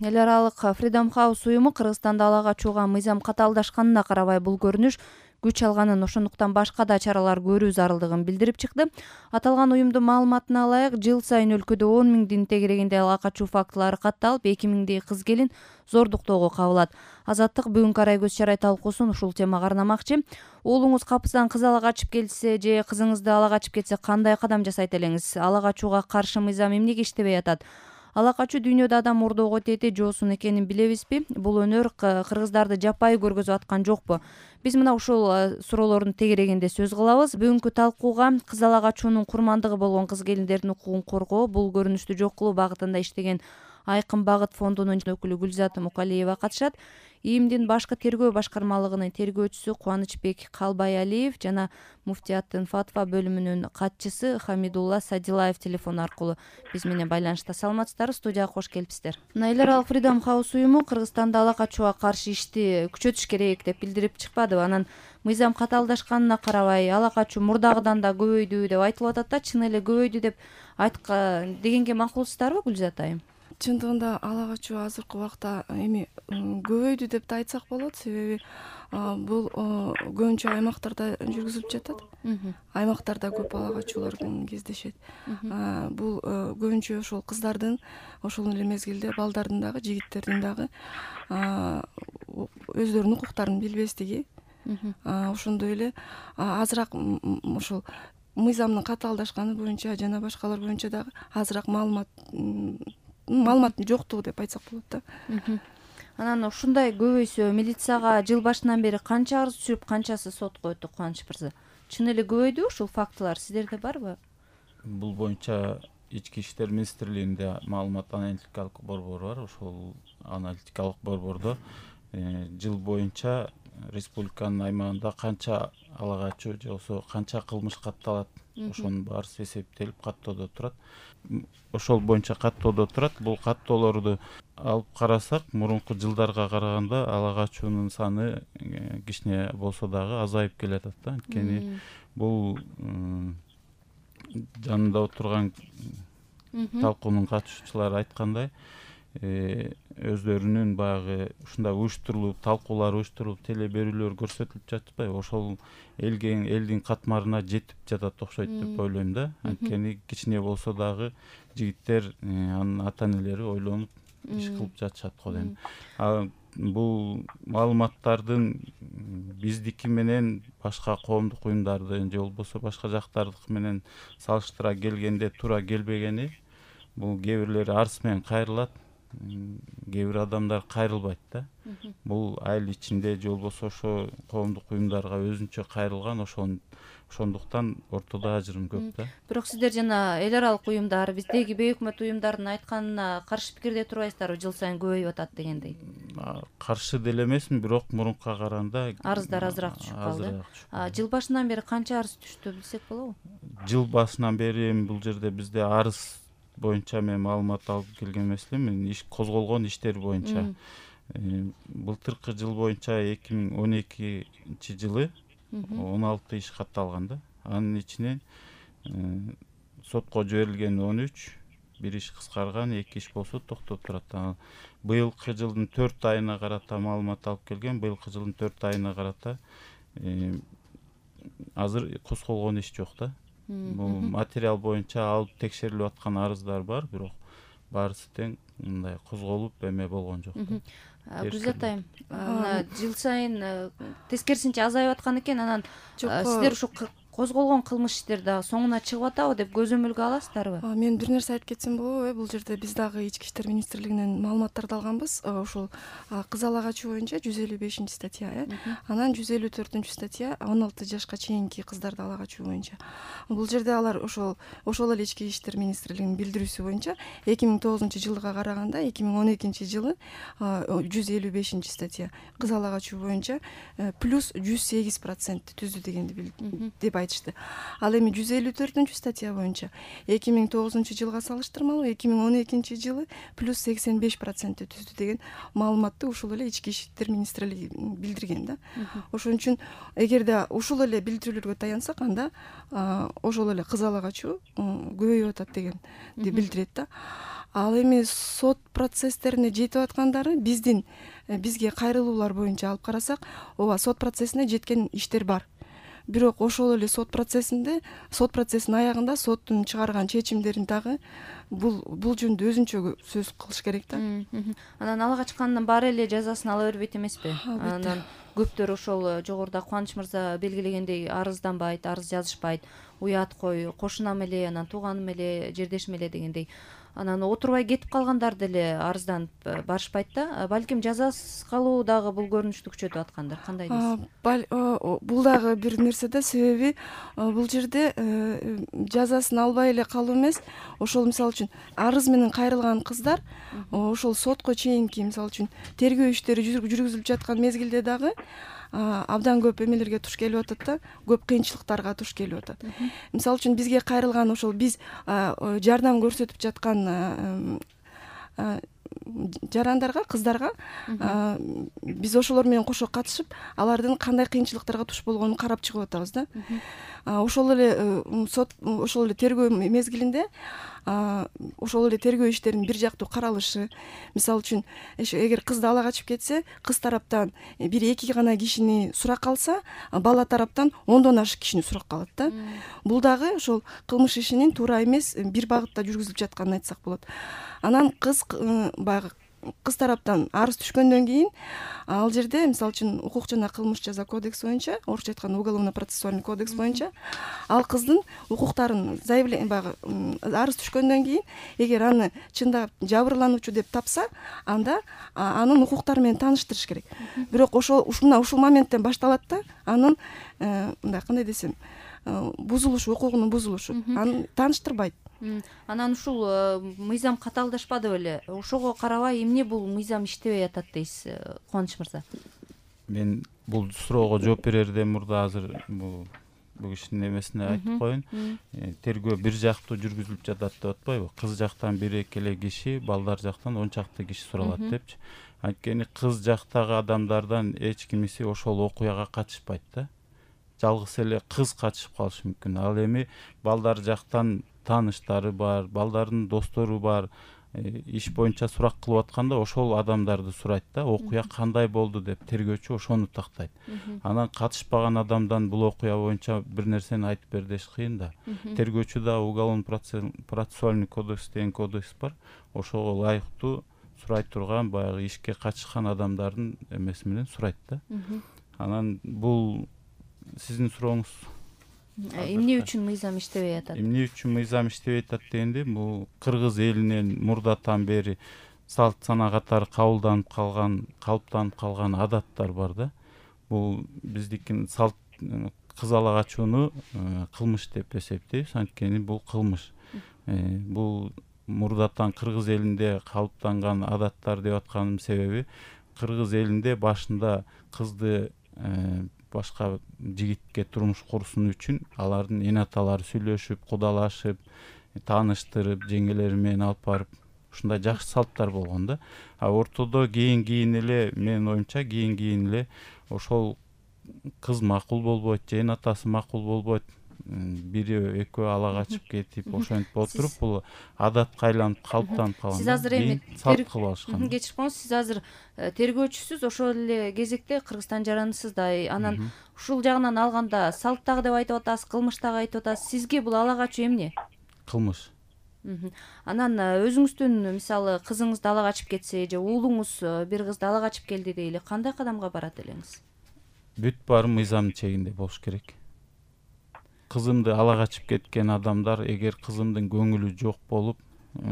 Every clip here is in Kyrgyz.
Эл аралык Freedom House уюму Кыргызстанда ала качууга мыйзам катаалдашканына карабай бул көрүнүш күч алганын, ошондуктан башка да чаралар көрүү зарылдыгын билдирип чыкты. Аталган уюмдун маалыматына ылайык, жыл сайын өлкөдө 10 миңдин тегерегинде ала качуу фактылары катталып, 2 миңдей кыз келин зордуктоого кабылат. Азаттык бүгүнкү арай көз чарай талкуусун ушул темага арнамакчы. Уулуңуз капысынан кыз ала качып келсе же кызыңызды ала качып кетсе кандай кадам жасайт элеңиз? Ала качууга каршы мыйзам эмнеге иштебей атат? Ала качуу дүйнөдө адам мурдоого тети жоосун экенин билебизби? Бул өнөр кыргыздарды жапайы көргөзүп аткан жокпу? Биз мына ушул суроолордун тегерегинде сөз кылабыз. Бүгүнкү талкууга кыз ала качуунун курмандыгы болгон кыз келиндердин укугун коргоо, бул көрүнүштү жок кылуу багытында иштеген Айкын багыт фондунун өкүлү Гүлзат Мукалиева катышат. ИИМдин башкы тергөө башкармалыгынын тергөөчүсү Кубанычбек Калбайалиев жана муфтияттын фатва бөлүмүнүн катчысы Хамидулла Садилаев телефон аркылуу биз менен байланышта. Саламатсыздарбы? Студияга кош келипсиздер. Эл аралык Freedom House уюму Кыргызстанда ала качууга каршы ишти күчөтүш керек деп билдирип чыкпадыбы? Анан мыйзам катаалдашканына карабай ала качуу мурдагыдан да көбөйдү деп айтылып атат да, чын эле көбөйдү деп дегенге макулсуздарбы, Гүлзат айым? Чындыгында ала качуу азыркы убакта эми көбөйдү деп да айтсак болот, себеби бул көбүнчө аймактарда жүргүзүлүп жатат. Аймактарда көп ала качуулар кездешет. Бул көбүнчө ошол кыздардын, ошол эле мезгилде балдардын дагы, жигиттердин дагы өздөрүнүн укуктарын билбестиги, ошондой эле азыраак ошол мыйзамдын катаалдашканы боюнча жана башкалар боюнча дагы азыраак маалыматтын жоктугу деп айтсак болот да. Анан ушундай көбөйсө, милицияга жыл башынан бери канча арыз түшүп, канчасы сотко өттү, Кубаныч мырза? Чын эле көбөйдү ушул фактылар? Сиздерде барбы? Бул боюнча Ички иштер министрлигинде маалымат аналитикалык борбор бар. Ошол аналитикалык борбордо жыл боюнча республиканын аймагында канча ала качуу же болбосо канча кылмыш катталат, ошонун баарысы эсептелип каттоодо турат. Ошол боюнча каттоодо турат. Бул каттоолорду алып карасак, мурунку жылдарга караганда ала качуунун саны кичине болсо дагы азайып келатат да. Анткени бул жанында отурган талкуунун катышуучулары айткандай, өздөрүнүн баягы ушундай уюштурулуп, талкуулар уюштурулуп, теле берүүлөр көрсөтүлүп жатпайбы? Ошол элдин катмарына жетип жатат окшойт деп ойлойм да. Анткени кичине болсо дагы жигиттер, анын ата энелери ойлонуп иш кылып жатышат го дейм. Бул маалыматтардын биздики менен башка коомдук уюмдардын же болбосо башка жактардыкы менен салыштыра келгенде туура келбегени, бул кээ бирлери арыз менен кайрылат, кээ бир адамдар кайрылбайт да. Бул айыл ичинде же болбосо ошо коомдук уюмдарга өзүнчө кайрылган, ошондуктан ортодо ажырым көп да. Бирок сиздер жана эл аралык уюмдар, биздеги бейөкмөт уюмдардын айтканына каршы пикирде турбайсыздарбы? Жыл сайын көбөйүп атат дегендей. Каршы деле эмесмин, бирок мурункуга караганда арыздар азыраак түшүп калды. Жыл башынан бери канча арыз түштү билсек болобу? Жыл башынан бери бул жерде бизде арыз боюнча мен маалымат алып келген эмесмин. Иш козголгон иштер боюнча былтыркы жыл боюнча 2012 жылы 16 иш катталган да. Анын ичинен сотко жиберилген 13, бир иш кыскарган, 2 иш болсо токтоп турат. Быйылкы жылдын 4 айына карата маалымат алып келген. Быйылкы жылдын 4 айына карата азыр козголгон иш жок да. Бул материал боюнча алып текшерилип аткан арыздар бар, бирок баарысы тең мындай козголуп эме болгон жок. Гүлзат айым, жыл сайын тескерисинче азайып аткан экен. Анан сиздер ушу козголгон кылмыш иштер дагы соңуна чыгып атабы деп көзөмөлгө аласыздарбы? Мен бир нерсе айтып кетсем болобу? Бул жерде биз дагы Ички иштер министрлигинен маалыматтарды алганбыз. Ушул кыз ала качуу боюнча 155-статья, анан 154 статья 16 жашка чейинки кыздарды ала качуу боюнча. Бул жерде алар ошол эле Ички иштер министрлигинин билдирүүсү боюнча 2009-жылга караганда 2012-жылы 155 кыз ала качуу боюнча плюс 108% түздү дегенди деп айтышты. Ал эми 154 статья боюнча 2009-жылга салыштырмалуу 2012-жылы плюс 85% түздү деген маалыматты ушул эле Ички иштер министрлиги билдирген да. Ошон үчүн эгерде ушул эле билдирүүлөргө таянсак, анда ошол эле кыз ала качуу көбөйүп атат дегенди билдирет да. Ал эми сот процесстерине жетип аткандары бизге кайрылуулар боюнча алып карасак, ооба сот процессине жеткен иштер бар. Бирок ошол эле сот процессинин аягында соттун чыгарган чечимдерин дагы бул жөнүндө өзүнчө сөз кылыш керек да. Анан ала качкандын баары эле жазасын ала бербейт эмеспи? Анан көптөр ошол жогоруда Кубаныч мырза белгилегендей арызданбайт, арыз жазышпайт, уят кой, кошунам эле, анан тууганым эле, жердешим эле дегендей. Анан отурбай кетип калгандар деле арызданып барышпайт да. Балким жазасыз калуу дагы бул көрүнүштү күчөтүп аткандыр. Кандай дейсиз? Бул дагы бир нерсе да, себеби бул жерде жазасын албай эле калуу эмес, ошол мисалы үчүн арыз менен кайрылган кыздар ошол сотко чейинки мисалы үчүн тергөө иштери жүргүзүлүп жаткан мезгилде дагы абдан көп эмелерге туш келип атат да, көп кыйынчылыктарга туш келип атат. Мисалы үчүн бизге кайрылган ошол биз жардам көрсөтүп жаткан жарандарга, кыздарга биз ошолор менен кошо катышып, алардын кандай кыйынчылыктарга туш болгонун карап чыгып атабыз да. Ошол эле ошол эле тергөө мезгилинде ошол эле тергөө иштеринин бир жактуу каралышы, мисалы үчүн эгер кызды ала качып кетсе, кыз тараптан бир 2 гана кишини суракка алса, бала тараптан 10дон ашык кишини суракка алат да. Бул дагы ошол кылмыш ишинин туура эмес бир багытта жүргүзүлүп жатканын айтсак болот. Анан баягы кыз тараптан арыз түшкөндөн кийин ал жерде мисалы үчүн укук жана кылмыш жаза кодекси боюнча, орусча айтканда уголовно-процессуальный кодекс боюнча ал кыздын укуктарын баягы арыз түшкөндөн кийин эгер аны чындап жабырлануучу деп тапса, анда анын укуктары менен тааныштырыш керек. Бирок ушул моменттен башталат да, анын мындай кандай десем, бузулушу, укугунун бузулушу. Аны тааныштырбайт. Анан ушул мыйзам катаалдашпады беле? Ошого карабай эмне бул мыйзам иштебей атат дейсиз, Кубаныч мырза? Мен бул суроого жооп берерден мурда азыр бул кишинин эмесине айтып коеюн. Тергөө бир жактуу жүргүзүлүп жатат деп атпайбы? Кыз жактан 1-2 эле киши, балдар жактан 10 чакты киши суралат депчи. Анткени кыз жактагы адамдардан эч кимиси ошол окуяга катышпайт да. Жалгыз эле кыз катышып калышы мүмкүн. Ал эми балдар жактан тааныштары бар, балдардын достору бар, иш боюнча сурак кылып атканда ошол адамдарды сурайт да, окуя кандай болду деп тергөөчү ошону тактайт. Анан катышпаган адамдан бул окуя боюнча бир нерсени айтып бер деш кыйын да. Тергөөчү да уголовно-процессуальный кодекс деген кодекс бар, ошого ылайыктуу сурай турган баягы ишке катышкан адамдардын эмеси менен сурайт да. Анан бул сиздин сурооңуз эмне үчүн мыйзам иштебей атат? Эмне үчүн мыйзам иштебей атат дегенде, бул кыргыз элинен мурдатан бери салт сана катары кабылданып калган адаттар бар да. Бул биздикин салт кыз ала качууну кылмыш деп эсептейбиз, анткени бул кылмыш. Бул мурдатан кыргыз элинде калыптанган адаттар деп атканымдын себеби, кыргыз элинде башында кызды башка жигитке турмуш курсун үчүн алардын эне аталары сүйлөшүп, кудалашып, тааныштырып, жеңелери менен алып барып, ушундай жакшы салттар болгон да. Ортодо кийин эле, менин оюмча кийин эле ошол кыз макул болбойт, же эне атасы макул болбойт, бири экөө ала качып кетип, ошентип отуруп, бул адатка айланып калыптанып калган. Сиз азыр эми салт кылып алышкан. Кечирип коюңуз, сиз азыр тергөөчүсүз, ошол эле кезекте Кыргызстан жаранысыз да. Анан ушул жагынан алганда салт дагы деп айтып атасыз, кылмыш дагы айтып атасыз. Сизге бул ала качуу эмне? Кылмыш. Анан өзүңүздүн мисалы кызыңызды ала качып кетсе, же уулуңуз бир кызды ала качып келди дейли, кандай кадамга барат элеңиз? Бүт баары мыйзамдын чегинде болуш керек. Кызымды ала качып кеткен адамдар, эгер кызымдын көңүлү жок болуп,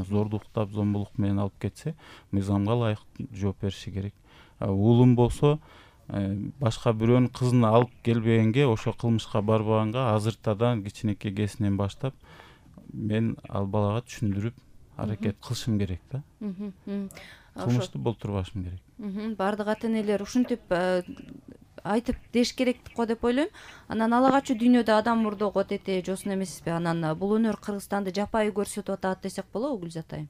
зордуктап, зомбулук менен алып кетсе, мыйзамга ылайык жооп бериши керек. Уулум болсо, башка бирөөнүн кызын алып келбегенге, ошо кылмышка барбаганга азыртадан кичинекей кезинен баштап мен ал балага түшүндүрүп аракет кылышым керек да. Кылмышты болтурбашым керек. Бардык ата энелер ушинтип айтып деш керек го деп ойлойм. Анан ала качуу дүйнөдө адам мурдого тете жоосун эмеспи? Анан бул өнөр Кыргызстанды жапайы көрсөтүп атат десек болобу, Гүлзат айым?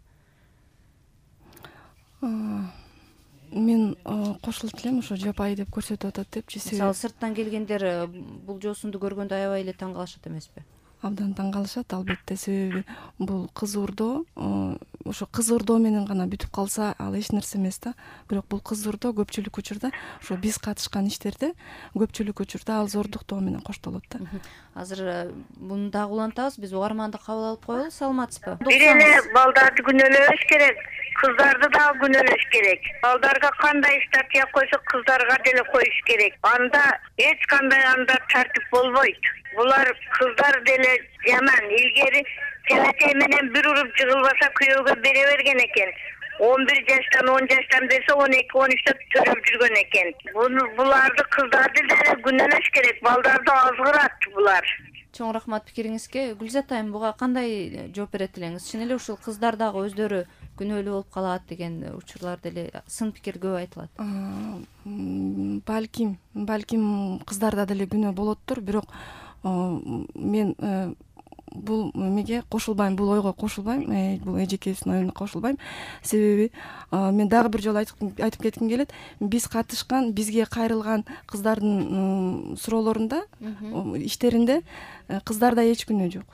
Мен кошулуп элем, ошо жапайы деп көрсөтүп атат депчи. Мисалы сырттан келгендер бул жоосунду көргөндө аябай эле таң калышат эмеспи? Абдан таң калышат, албетте, себеби бул кыз уурдоо ошо кыз ырдоо менен гана бүтүп калса ал эч нерсе эмес да. Бирок бул кыз ырдоо көпчүлүк учурда ошо биз катышкан иштерде көпчүлүк учурда ал зордуктоо менен коштолот да. Азыр муну дагы улантабыз, биз угарманды кабыл алып коелу. Саламатсызбы? Бир эле балдарды күнөөлөбөш керек, кыздарды дагы күнөөлөш керек. Балдарга кандай статья койсо, кыздарга деле коюш керек. Анда эч кандай анда тартип болбойт. Булар кыздар деле жаман. Илгери телетей менен бир уруп жыгылбаса күйөөгө бере берген экен. 11 жаштан 10 жаштан берсе 12-13 төрөп жүргөн экен. Буларды кыздарды деле күнөөлөш керек. Балдарды азгырат булар. Чоң рахмат пикириңизге. Гүлзат айым, буга кандай жооп берет элеңиз? Чын эле ушул кыздар дагы өздөрү күнөөлүү болуп калат деген учурлар деле сын пикир көп айтылат. Балким кыздарда деле күнөө болоттур, бирок мен бул эмеге кошулбайм, бул ойго кошулбайм, бул эжекебиздин оюна кошулбайм. Себеби мен дагы бир жолу айтып кетким келет. Биз катышкан, бизге кайрылган кыздардын суроолорунда, иштеринде кыздарда эч күнөө жок.